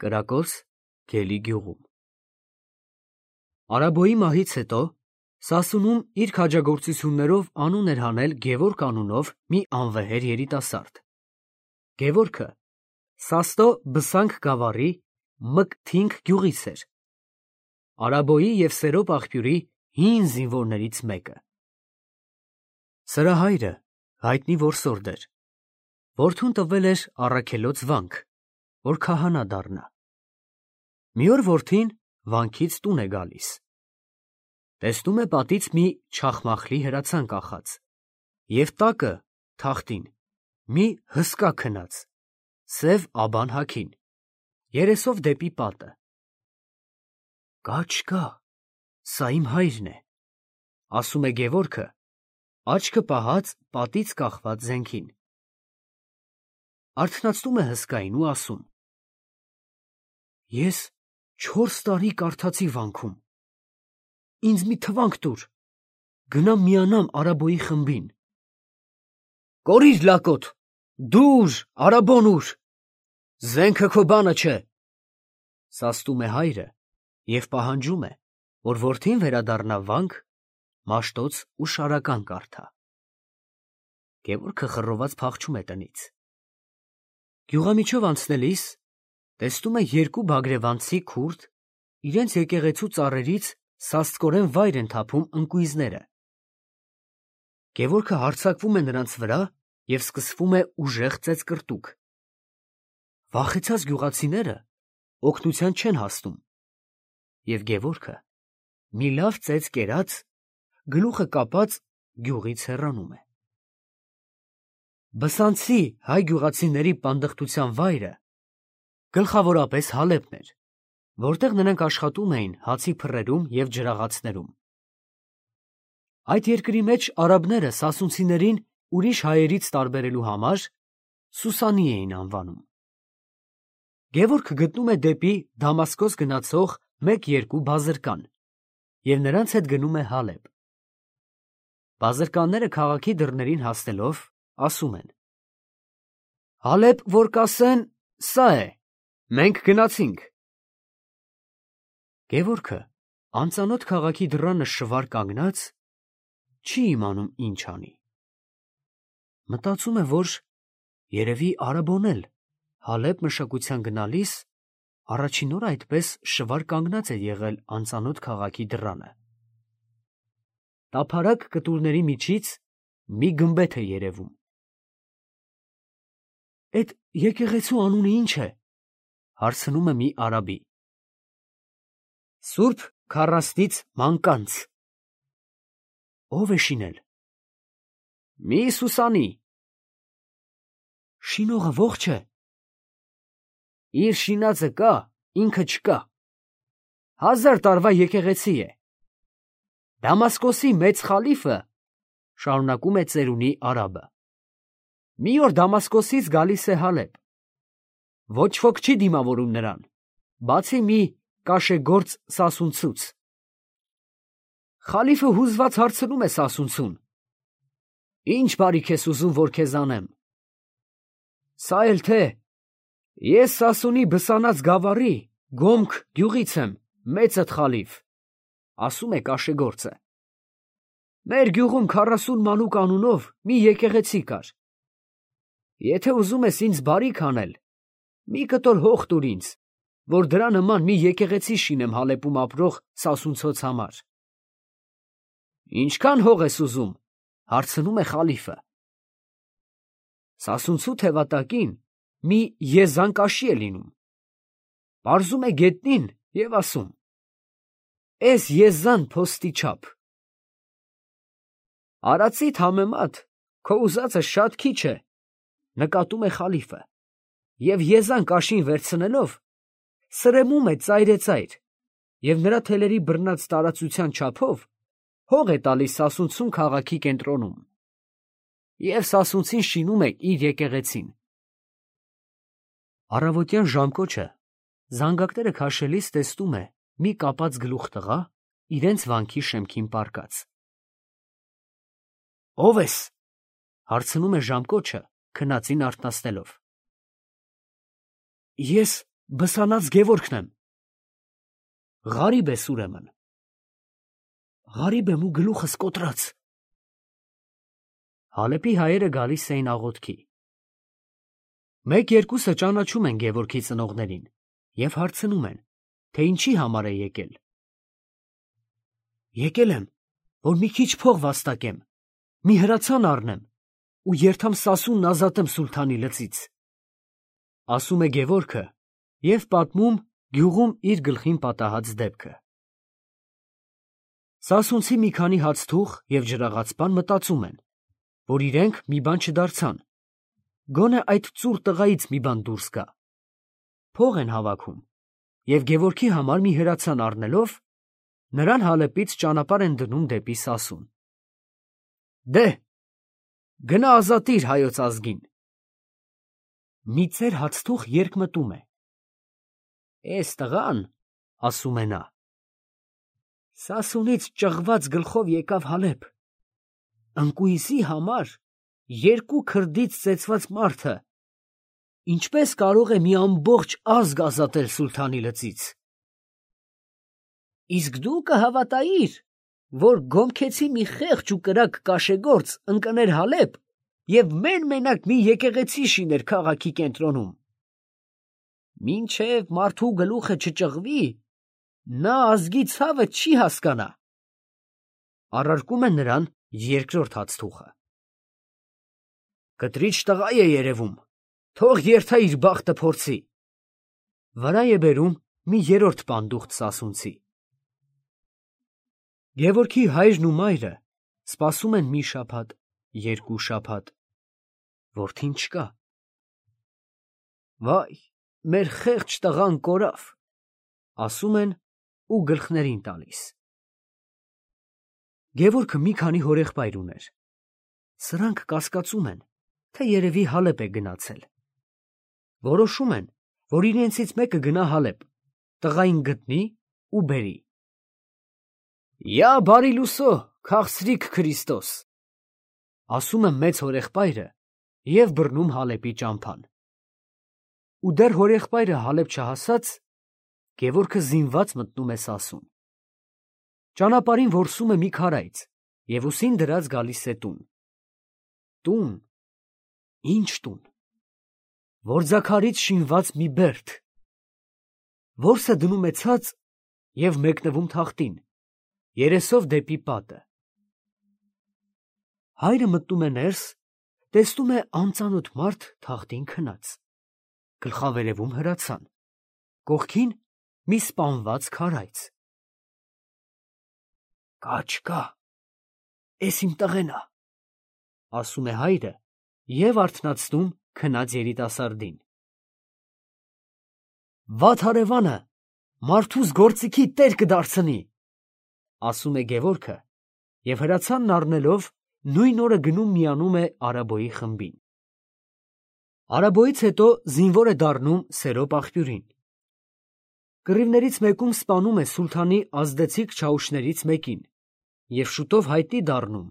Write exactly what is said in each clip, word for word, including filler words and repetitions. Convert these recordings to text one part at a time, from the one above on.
Կրակոց Գելի գյուղում։ Արաբոյի մահից հետո Սասունում իր քաջագործություններով անուն էր հանել Գևորգ անունով մի անվեհեր երիտասարդ։ Գևորգը Սաստո Բսանք գավառի Մկթինք գյուղից էր, Արաբոյի և Սերոպ աղբյուրի հին զինվորներից մեկը։ Սրա հայրը հայտնի որսորդ էր, որդուն տվել էր առաքելոց վանք, որ քահանա դառնա։ Մի օր որդին վանքից տուն է գալիս, տեսնում է պատից մի չախմախլի հրացան կախած և տակը թախտին մի հսկա քնած, սև աբան հագին, երեսով դեպի պատը։ Կա չկա, սա իմ հայրն է, ասում է Գևորգը, աչքը պահած պատից կախված զենքին։ Արթնացնում է հսկային ու ասում. Ես չորս տարի կարդացի վանքում, ինձ մի թվանք տուր, գնամ միանամ Արաբոյի խմբին։ Կորիր լակոտ, դուր, Արաբոն ուր, զենքը քո բանը չէ, սաստում է հայրը և պահանջում է, որ որդին վերադառնա վանք, մաշտոց ու շարական կարդա։ Գևորգը խռոված փախչում է տնից։ Գյուղամիջով անցնելիս տեսնում է երկու բագրևանցի քուրդ իրենց եկեղեցու ծառերից սաստկորեն վայր են թափում ընկույզները։ Գևորգը հարձակվում է նրանց վրա և սկսվում է ուժեղ ծեծկռտուք։ Վախեցած գյուղացիները օգնության չեն հասնում, և Գևորգը մի լավ ծեծ կերած, գլուխը կապած գյուղից հեռանում է։ Բսանցի հայ գյուղացիների պանդխտության վայրը գլխավորապես Հալեբն էր, որտեղ նրանք աշխատում էին հացի փռերում և ջրաղացներում։ Այդ երկրի մեջ արաբները սասունցիներին ուրիշ հայերից տարբերելու համար Սուսանի էին անվանում։ Գևորգը գտնում է դեպի Դամասկոս գնացող մեկ-երկու բազրկան և նրանց հետ գնում է Հալեբ։ Բազրկանները քաղաքի դռներին հասնելով ասում են. Հալեբ որ կասեն, սա է, մենք գնացինք։ Գևորգը անծանոթ քաղաքի դռանը շվար կանգնած չի իմանում ինչ անի։ Մտածում է, որ երևի Արաբոն էլ Հալեբ մշակության գնալիս առաջին օր այդպես շվար կանգնած է եղել անծանոթ քաղաքի դռանը։ Տափարակ կտուրների միջից մի գմբեթ է երևում։ Էդ եկեղեցու անունը ի՞նչ է, հարցնում է մի արաբի։ Սուրբ Քառասնից Մանկանց։ Ո՞վ է շինել։ Մի Սուսանի։ Շինողը ողջ է։ Իր շինածը կա, ինքը չկա։ Հազար տարվա եկեղեցի է։ Դամասկոսի մեծ խալիֆը, շարունակում է ծերունի արաբը, մի օր Դամասկոսից գալիս է Հալեբ։ Ոչ ոք չի դիմավորում նրան, բացի մի կաշեգործ սասունցուց։ Խալիֆը հուզված հարցնում է սասունցուն. Ինչ բարիք ես ուզում, որ քեզ անեմ։ Սա էլ թե, ես Սասունի Բսանած գավառի Գոմք գյուղից եմ, մեծդ խալիֆ, ասում է կաշեգործը։ Մեր գյուղում քառասուն մանուկ անունով մի եկեղեցի կար։ Եթե ուզում ես ինձ բարիք անել, մի կտոր հող տուր ինձ, որ դրա նման մի եկեղեցի շինեմ Հալեբում ապրող սասունցոց համար։ Ինչքան հող ես ուզում, հարցնում է խալիֆը։ Սասունցու թևատակին մի եզան կաշի է լինում։ Պարզում է գետնին և ասում. Էս եզան փոստի չափ։ Արածիդ համեմատ քո ուզածը շատ քիչ է, նկատում է խալիֆը, և եզան կաշին վերցնելով սրեմում է ծայրեծայր և նրա թելերի բռնած տարածության չափով հող է տալիս սասունցուն քաղաքի կենտրոնում։ Եվ սասունցին շինում է իր եկեղեցին։ Առավոտյան ժամկոչը զանգակները քաշելիս տեսնում է մի կապած գլուխ տղա իրենց վանքի շեմքին պառկած։ Ո՞վ ես, հարցնում է ժամկոչը քնածին արթնացնելով։ Ես բսանած Գևորգն եմ։ Ղարիբ ես ուրեմն։ Ղարիբ եմ ու գլուխս կոտրած։ Հալեպի հայերը գալիս էին աղոթքի։ Մեկ-երկուսը ճանաչում են Գևորգի ծնողներին և հարցնում են, թե ինչի համար է եկել։ Եկել եմ, որ մի քիչ փող վաստակեմ, մի հրացան առնեմ ու երթամ Սասունն ազատեմ սուլթանի լծից, ասում է Գևորգը և պատմում գյուղում իր գլխին պատահած դեպքը։ Սասունցի մի քանի հացթուղ և ջրաղացպան մտածում են, որ իրենք մի բան չդարձան, գոնե այդ ծուռ տղայից մի բան դուրս գա։ Փող են հավաքում և Գևորգի համար մի հրացան առնելով, նրան Հալեպից ճանապարհ են դնում դեպի Սասուն։ Դե՛, գնա ազատիր հայոց ազգին։ Մի ծեր հացթուղ երկմտում է։ Էս տղան, ասում է նա, Սասունից ճղված գլխով եկավ Հալեպ, ընկույզի համար երկու քրդից ծեծված մարդը ինչպես կարող է մի ամբողջ ազգ ազատել սուլթանի լծից։ Իսկ դու կհավատայիր, որ գոմքեցի մի խեղճ ու կրակ կաշեգործ ընկներ Հալեպ և մեն-մենակ մի եկեղեցի շիներ քաղաքի կենտրոնում։ Մինչև մարդու գլուխը չճղվի, նա ազգի ցավը չի հասկանա։ Առարկում են նրան երկրորդ հացթուղը։ Կտրիչ տղա է երևում, թող երթա իր բախտը փորձի։ Վրա է բերում մի երրորդ պանդուխտ սասունցի։ Գևորգի հայրն ու մայրը սպասում են մի շաբաթ, երկու շաբաթ, որդին չկա։ Վայ, մեր խեղճ տղան կորավ, ասում են ու գլխներին տալիս։ Գևորգը մի քանի հորեղբայր ուներ։ Սրանք կասկածում են, թե երևի Հալեպ է գնացել։ Որոշում են, որ իրենցից մեկը գնա Հալեպ, տղային գտնի ու բերի։ Յա բարի լուսո, քաղցրիկ Քրիստոս, ասում է մեծ հորեղբայրը և բռնում Հալեպի ճամփան։ Ու դեռ հորեղբայրը Հալեպ չհասած, Գևորգը զինված մտնում է Սասուն։ Ճանապարհին որսում է մի քարայծ և ուսին դրած գալիս է տուն։ Տուն, ինչ տուն, որձաքարից շինված մի բերդ։ Որսը դնում է ցած և մեկնվում թախտին, երեսով դեպի պատը։ Հայրը մտնում է ներս, տեսնում է անծանոթ մարդ թախտին քնած, գլխավերևում հրացան, կողքին մի սպանված քարայծ։ Կա չկա, էս իմ տղեն ա, ասում է հայրը և արթնացնում քնած երիտասարդին։ Վատ հարևանը մարդուս գործիքի տեր կդարձնի, ասում է Գևորգը և հրացանն առնելով նույն օրը գնում միանում է Արաբոյի խմբին։ Արաբոյից հետո զինվոր է դառնում Սերոպ աղբյուրին։ Կռիվներից մեկում սպանում է սուլթանի ազդեցիկ չաուշներից մեկին և շուտով հայտնի դառնում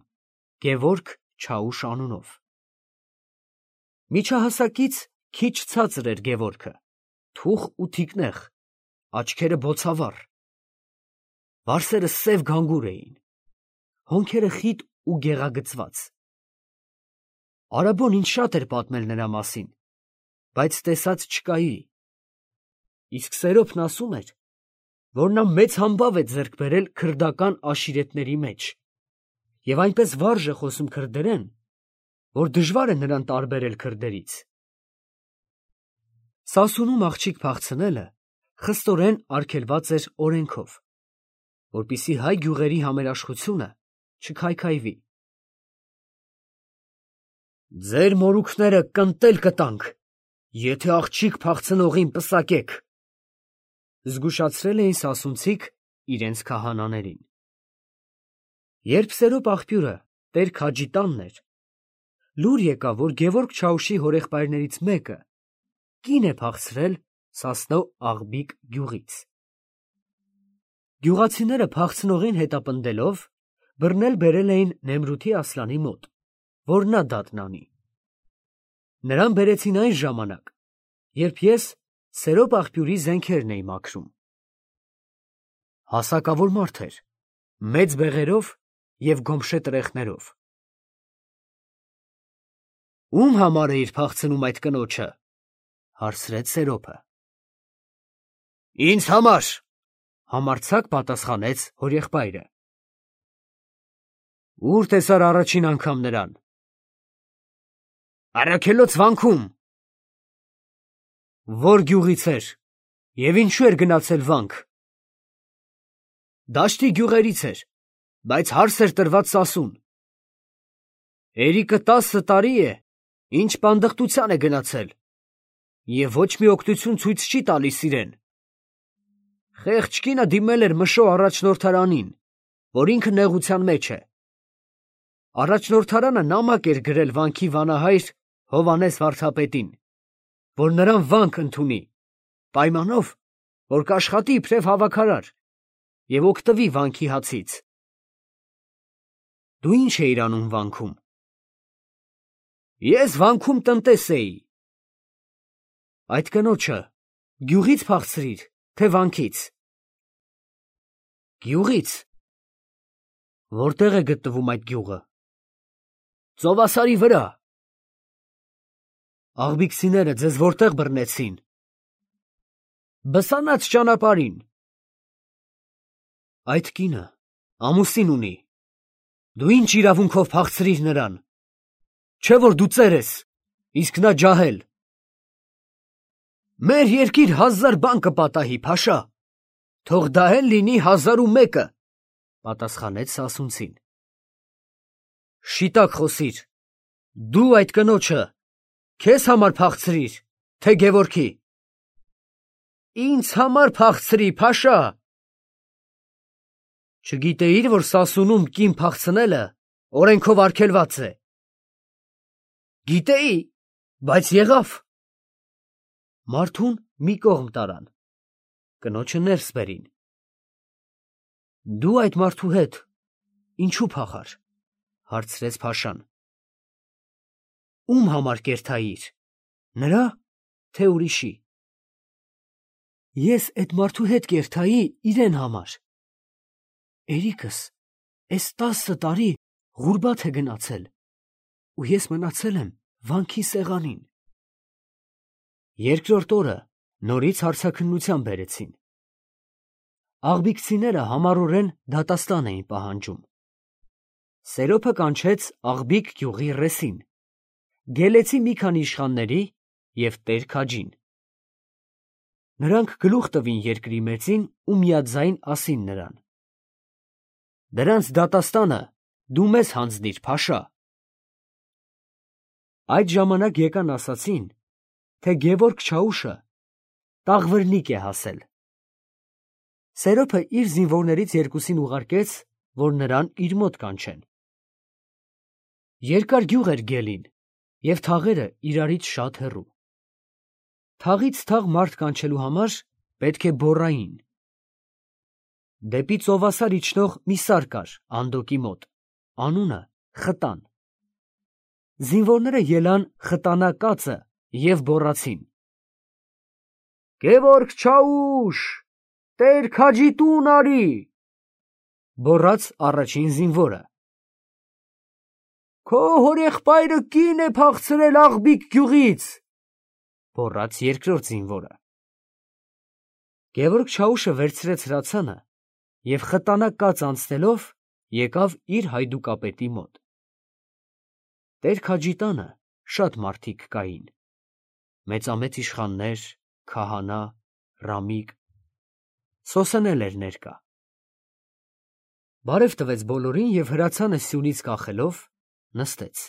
Գևորգ Չաուշ անունով։ Միջահասակից քիչ ցածր էր Գևորգը, թուխ ու թիկնեղ, աչքերը բոցավառ։ Վարսերը սև գանգուր էին, հոնքերը խիտ ու գեղագծված։ Արաբոն ինձ շատ էր պատմել նրա մասին, բայց տեսած չկայի։ Իսկ Սերոպն ասում էր, որ նա մեծ համբավ է ձեռք բերել քրդական աշիրետների մեջ և այնպես վարժ է խոսում քրդերեն, որ դժվար է նրան տարբերել քրդերից։ Սասունում աղջիկ փախցնելը խստորեն արգելված էր օրենքով, որպեսզի հայ գյուղերի համերաշխությունը չքայքայվի։ Ձեր մորուքները կընտել կտանք, եթե աղջիկ փախցնողին պսակեք, զգուշացրել էին սասունցիք իրենց քահանաներին։ Երբ Սերոպ աղբյուրը տեր Քաջի տանն էր, լուր եկավ, որ Գևորգ Չաուշի հորեղբայրներից մեկը կին է փախցրել Սասնո Աղբիկ գյուղից։ Գյուղացիները փախցնողին հետապնդելով բռնել բերել էին Նեմրութի Ասլանի մոտ, որ նա դատնանի։ Նրան բերեցին այն ժամանակ, երբ ես Սերոպ աղբյուրի զենքերն էի մաքրում։ Հասակավոր մարդ էր, մեծ բեղերով և գոմշե տրեխներով։ Ում համար էիր փախցնում այդ կնոջը, հարցրեց Սերոպը։ Ինձ համար, համարձակ պատասխանեց հորեղբայրը։ Ուր տեսար առաջին անգամ նրան։ Առաքելոց վանքում։ Որ գյուղից էր և ինչու էր գնացել վանք։ Դաշտի գյուղերից էր, բայց հարս էր տրված Սասուն։ Երիկը տասը տարի է, ինչ պանդխտության է գնացել և ոչ մի օգնություն ցույց չի տալիս իրեն։ Խեղճ կինը դիմել էր Մշո առաջնորդարանին, որ ինքը նեղության մեջ է։ Առաջնորդարանը նամակ էր գրել վանքի վանահայր Հովհաննես վարդապետին, որ նրան վանք ընդունի, պայմանով, որ կաշխատի իբրև հավաքարար և օգտվի վանքի հացից։ Դու ի՞նչ էիր անում վանքում։ Ես վանքում տնտես էի։ Այդ կնոջը գյուղի՞ց փախցրիր, թե վանքից։ Գյուղից։ Որտեղ է գտնվում այդ գյուղը։ Ծովասարի վրա։ Աղբիքսիները ձեզ որտեղ բռնեցին։ Բսանաց ճանապարհին։ Այդ կինը ամուսին ունի։ Դու ի՞նչ իրավունքով փախցրիր նրան։ Չէ՞ որ դու ծեր ես, իսկ նա ջահել։ Մեր երկիր հազար բան կպատահի, Փաշա, թող դա էլ լինի հազար ու մեկը, պատասխանեց Սասունցին։ Շիտակ խոսիր, դու այդ կնոջը քեզ համար փախցրիր, թե Գևորգի։ Ինձ համար փախցրի, Փաշա։ Չգիտեիր, որ Սասունում կին փախցնելը օրենքով արգելված է։ Գիտեի, բայց եղավ։ Մարդուն մի կողմ տարան, կնոջը ներս բերին։ Դու այդ մարդու հետ ինչու փախար, հարցրեց Փաշան։ Ում համար կերթայիր, նրա, թե ուրիշի։ Ես այդ մարդու հետ կերթայի իրեն համար։ Երիկս էս տասը տարի Ղուրբաթ է գնացել, ու ես մնացել եմ վանքի սեղանին։ Երկրորդ օրը նորից հարցաքննության բերեցին։ Աղբիքցիները համառորեն դատաստան էին պահանջում։ Սերոպը կանչեց Աղբիկ գյուղի ռեսին, գելեցի մի քանի իշխանների և տեր քաջին։ Նրանք գլուխ տվին երկրի մեծին ու միաձայն ասին նրան. Դրանց դատաստանը դու մեզ հանձնիր, Փաշա։ Այդ ժամանակ եկան ասացին, թե Գևորգ Չաուշը Տաղվրնիկ է հասել։ Սերոպը իր զինվորներից երկուսին ուղարկեց, որ նրան իր մոտ կանչեն։ Երկար գյուղ էր գելին, և թաղերը իրարից շատ հեռու։ Թաղից թաղ մարդ կանչելու համար պետք է բոռային։ Դեպի ծովասար իջնող մի սար կար Անդոկի մոտ, անունը Խտան։ Զինվորները ելան խտանա կացը և բոռացին. Գևորգ Չաուշ, տեր քաջի տուն արի։ Բոռաց առաջին զինվորը։ Քո հորեղբայրը կին է փախցրել Աղբիկ գյուղից, բոռաց երկրորդ զինվորը։ Գևորգ Չաուշը վերցրեց հրացանը և խտանա կաց անցնելով եկավ իր հայդուկապետի մոտ։ Տեր քաջի տանը շատ մարդիկ կային, մեծամեծ իշխաններ, քահանա, ռամիկ, Սոսն էլ էր ներկա։ Բարև տվեց բոլորին և հրացանը սյունից կախելով նստեց։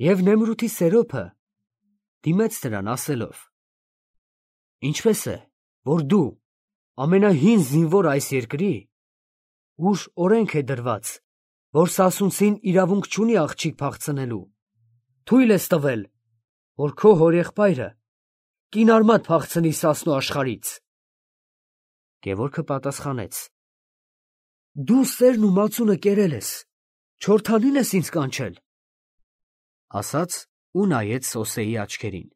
Եվ Նեմրութի Սերոպը դիմեց նրան ասելով. Ինչպես է, որ դու, ամենահին զինվորը այս երկրի, ուր օրենք է դրված, որ Սասունցին իրավունք չունի աղջիկ փախցնելու, թույլ ես տվել, որ քո հորեղբայրը կինարմատ փախցնի Սասնու աշխարհից։ Գևորգը պատասխանեց. Դու սերն ու մածունը կերել ես, չորթանին ես ինձ կանչել, ասաց ու նայեց Սոսեի աչքերին։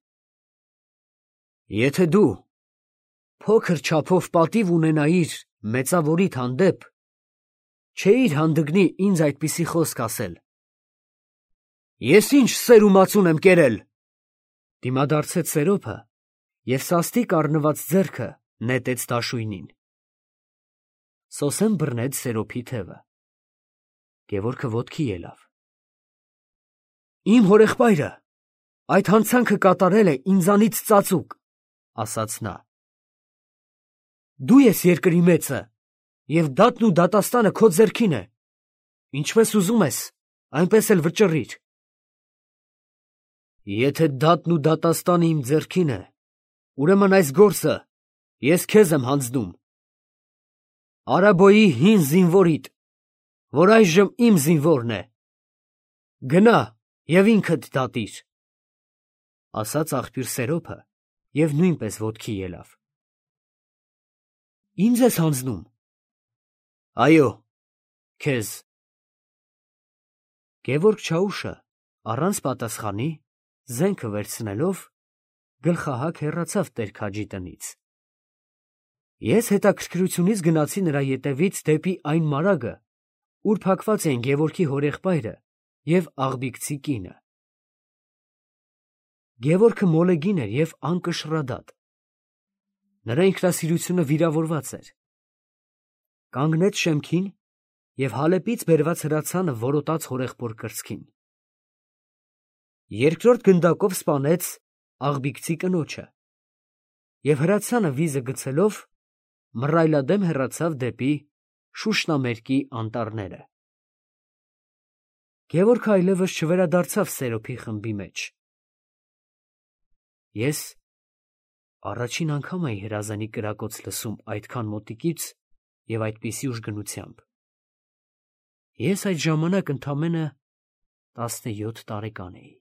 Եթե դու փոքր չափով պատիվ ունենայիր մեծավորիդ հանդեպ, չէիր հանդգնի ինձ այդպիսի խոսք ասել։ Ես ինչ սերումացուն եմ կերել, դիմադարձեց Սերոփը և սաստիկ առնված ձեռքը նետեց դաշույնին։ Սոսեն բռնեց Սերոփի թևը։ Գևորգը ոտքի ելավ։ Իմ հորեղբայրը այդ հանցանքը կատարել է ինձանից ծածուկ, ասաց նա։ Դու ես երկրի մեծը, և դատն ու դատաստանը քո ձեռքին է, ինչպես ուզում ես, այնպես էլ վճռիր։ Եթե դատն ու դատաստանը իմ ձեռքին է, ուրեմն այս գործը ես քեզ եմ հանձնում, Արաբոյի հին զինվորիդ, որ այժմ իմ զինվորն է, գնա և ինքդ դատիր, ասաց աղբյուր Սերոփը և նույնպես ոտքի ելավ։ Ինձ ես հանձնում։ Այո, քեզ։ Գևորգ Չաուշը առանց պատասխանի զենքը վերցնելով գլխահակ հեռացավ Տեր-Քաջի տնից։ Ես հետաքրքրությունից գնացի նրա ետևից դեպի այն մարագը, ուր փակված էին Գևորգի հորեղբայրը և աղբիկցի կինը։ Գևորգը մոլեգին էր և անկշռադատ։ Նրա ինքնասիրությունը վիրավորված էր։ Կանգնեց շեմքին և հալեպից բերված հրացանը որոտաց հորեղբոր կրծքին։ Երկրորդ գնդակով սպանեց աղբիկցի կնոջը և հրացանը վիզը գցելով մռայլադեմ հեռացավ դեպի Շուշնամերկի անտառները։ Գևորգը այլևս չվերադարձավ Սերոփի խմբի մեջ։ Ես առաջին անգամ էի հրազանի կրակոց լսում այդքան մոտիկից և այդպիսի ուժգնությամբ։ Ես այդ ժամանակ ընդամենը տասնյոթ տարեկան էի։